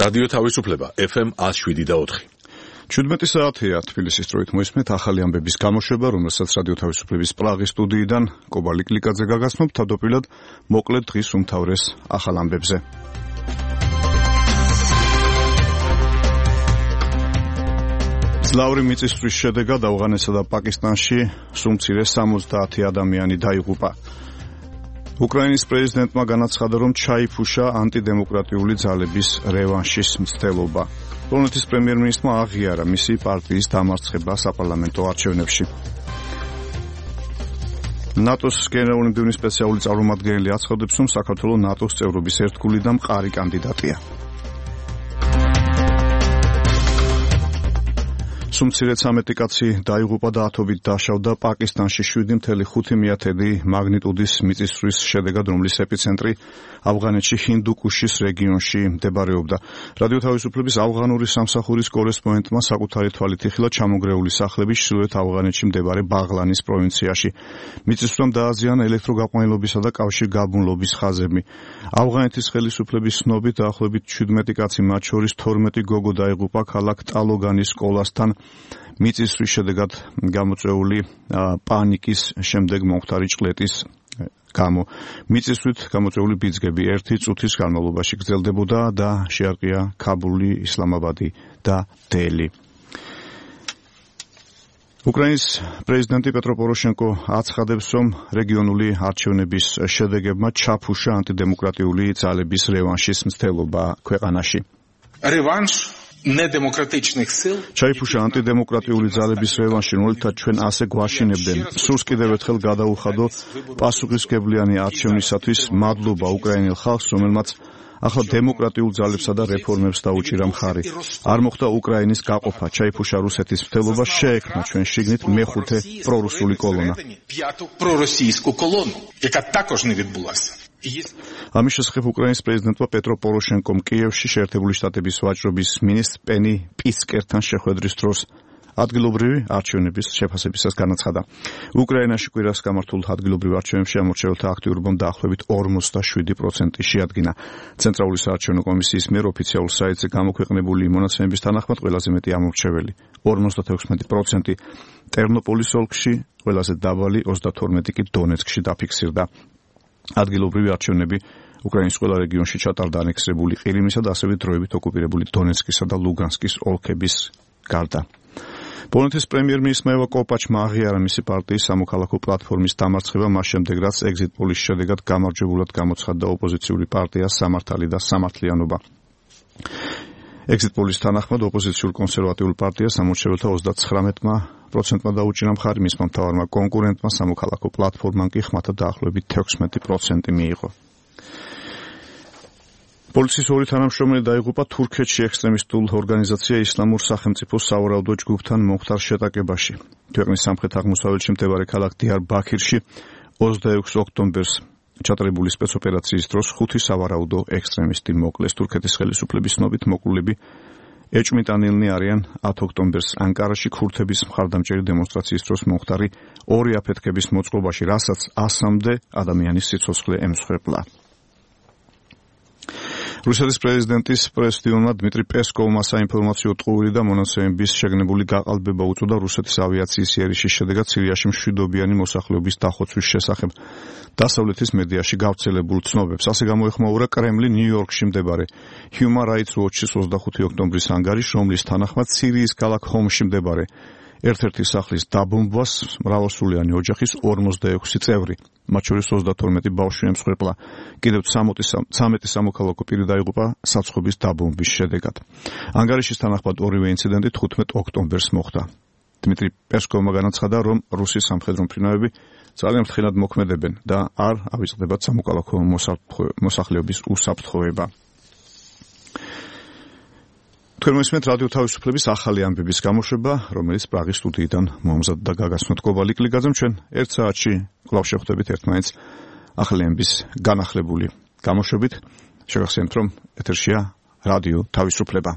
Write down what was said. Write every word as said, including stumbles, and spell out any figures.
რადიო თავისუფლება ეფ ემ ათს შვიდი და ოთხი. ჩვიდმეტი საათია თბილისის დროით მოისმენთ ახალი ამბების გამოშვება, რომელსაც რადიო თავისუფლების პრაღის სტუდიიდან კობალი კლიკაძე გაგაცნობ, თავდაპირველად მოკლედ დღის უმთავრეს ახალ ამბებზე. ძლავრი მიწისძვრის შედეგად ავღანეთსა და პაკისტანში სულ მცირე სამოცდაათი ადამიანი დაიღუპა. უკრაინის პრეზიდენტმა განაცხადა, რომ ჩაიფუშა ანტიდემოკრატიული ძალების რევანშის მცდელობა. პოლონეთის პრემიერ-მინისტრმა აღიარა მისი პარტიის დამარცხება საპარლამენტო არჩევნებში. ნატოს გენერალური მდივნის სპეციალური წარმომადგენელი აცხადებს, რომ საქართველო ნატოს წევრობის ერთგული და მყარი კანდიდატია. სულ ცამეტი კაცი დაიღუპა და ათობით დაშავდა პაკისტანში შვიდი ფاصლე ხუთი მაგნიტუდის მიწისძვრის შედეგად, რომლის ეპიცენტრი ავღანეთში ჰინდუკუშის რეგიონში მდებარეობდა. რადიო თავისუფლების ავღანური სამსახურის კორესპონდენტმა საკუთარი თვალით იხილა ჩამონგრეული სახლები ჩრდილოეთ ავღანეთში მდებარე ბაღლანის პროვინციაში. მიწისძვრამ დააზიანა ელექტროგაყვანილობისა და კავშირგაბმულობის ხაზები. ავღანეთის ხელისუფლების ცნობით დაახლოებით შვიდმეტი კაცი, მათ შორის თორმეტი გოგო დაიღუპა ქალაქ ტალოგანის სკოლასთან მიწისძვრის შედეგად გამოწვეული პანიკის შემდეგ მომხდარი ჭყლეტის გამო. მიწისძვრით გამოწვეული ბიძგები ერთი წუთის განმავლობაში გრძელდებოდა და შეარყია ქაბული, ისლამაბადი და დელი. უკრაინის პრეზიდენტი პეტრო პოროშენკო აცხადებს, რომ რეგიონული არჩევნების შედეგებმა ჩაფუშა ანტიდემოკრატიული ძალების რევანშის მცდელობა ქვეყანაში. რევანშ ნედემოკრატичних სილ ჩაიფუშა ანტიდემოკრატიული ძალების რევანში, რომელთაც ჩვენ ასე გვაშინებდნენ. სულს კიდევ ერთხელ გადაუხადო პასუხისმგებლიანი არჩევნისათვის მადლობა უკრაინელ ხალხს, რომელმაც ახლა დემოკრატიულ ძალებსა და რეფორმებს დაუჭირა მხარი. არ მოხდა უკრაინის გაყოფა, ჩაიფუშა რუსეთის მცდელობა, შეექმნა ჩვენ შიგნით მეხუთე პრორუსული კოლონა. პროროსიისკუ კოლონუ, яка також не відбулася. ამის შესახებ უკრაინის პრეზიდენტმა პეტრო პოროშენკომ კიევში შეერთებული შტატების ვაჭრობის მინისტრ პენი პიცკერთან შეხვედრის დროს ადგილობრივი არჩევნების შეფასებისას განაცხადა. უკრაინაში კვირას გამართულ ადგილობრივ არჩევნებში ამორჩეველთა აქტიურობამ დაახლოებით ორმოცდაშვიდი პროცენტი შეადგინა. ცენტრალური საარჩევნო კომისიის მიერ ოფიციალურ საიტზე გამოქვეყნებული მონაცემების თანახმად ყველაზე მეტი ამორჩეველი ორმოცდათექვსმეტი პროცენტი ტერნოპოლის ოლქში, ყველაზე დაბალი ოცდათორმეტი კი დონეცკში დაფიქსირდა. ადგილობრივი არჩევნები უკრაინის ყველა რეგიონში ჩატარდა ანექსირებული ყირიმისა და ასევე დროებით ოკუპირებული დონეცკისა და ლუგანსკის ოლქების გარდა. პოლონეთის პრემიერ-მინისტრმა ევა კოპაჩმა აღიარა მისი პარტიის სამოქალაქო პლატფორმის დამარცხება მას შემდეგ, რაც ეგზიტ პოლის შედეგად გამარჯვებულად გამოცხადდა ოპოზიციური პარტია სამართალი და სამართლიანობა. ეგზიტ პოლის თანახმად ოპოზიციურ კონსერვატიულ პარტიას ამორჩეველთა ოცდაცხრამეტი პროცენტმა დაუჭირა მხარი, მისმა მთავარმა კონკურენტმა სამოქალაქო პლატფორმამ კი ხმათა დაახლოებით თექვსმეტი პროცენტი მიიღო. პოლიციის ორი თანამშრომელი დაიღუპა თურქეთში ექსტრემისტულ ორგანიზაცია ისლამურ სახელმწიფოს სავარაუდო ჯგუფთან მომხდარ შეტაკებაში. ქვეყნის სამხრეთ-აღმოსავლეთში მდებარე ქალაქ დიარბაქირში ოცდაექვსი ოქტომბერს ჩატარებული სპეცოპერაციის დროს ხუთი სავარაუდო ექსტრემისტი მოკლეს. თურქეთის ხელისუფლების ცნობით მოკლულები ეჭვმიტანილნი არიან ათი ოქტომბერს ანკარაში ქურთების მხარდამჭერი დემონსტრაციის დროს მომხდარი ორი აფეთქების მოწყობაში, რასაც ასამდე ადამიანის სიცოცხლე ემსხვერპლა. რუსეთის პრეზიდენტის პრესდიუმმა დმიტრი პესკოვმა საინფორმაციო ტყუილი და მონაცემების შეგნებული გაყალბება უწოდა რუსეთის ავიაციის იერიშის შედეგად სირიაში მშვიდობიანი მოსახლეობის დახოცვის შესახებ. დასავლეთის მედიაში გავრცელებულ ცნობებს ასე გამოეხმაურა კრემლი ნიუ-იორკში მდებარე Human Rights Watch-ის ოცდახუთი ოქტომბრის ანგარიშს, რომლის თანახმად სირიის ქალაქ ჰომში მდებარე ერთ-ერთი სახლის დაბომბვას მრავალსულიანი ოჯახის ორმოცდაექვსი წევრი, მათ შორის ოცდათორმეტი ბავშვი ემსხვერპლა. კიდევ ცამეტი სამოქალაქო პირი დაიღუპა საცხობის დაბომბვის შედეგად. ანგარიშის თანახმად ორივე ინციდენტი თხუთმეტ ოქტომბერს მოხდა. დმიტრი პესკოვმა განაცხადა, რომ რუსის სამხედრო მფრინავები ძალიან ფრთხილად მოქმედებენ და არ ავიწყდებათ სამოქალაქო მოსახლეობის უსაფრთხოება. თქვენ მოსმენთ რადიო თავისუფლების ახალი ამბების გამოშვება, რომელიც პრაღის სტუდიიდან მომზადდა გაგაცნოთ კობალი კლიკაძემ. ჩვენ ერთ საათში კვლავ შევხვდებით ერთმანეთს ახალი ამბების განახლებული გამოშვებით. შეგახსენებთ, რომ ეთერშია რადიო თავისუფლება.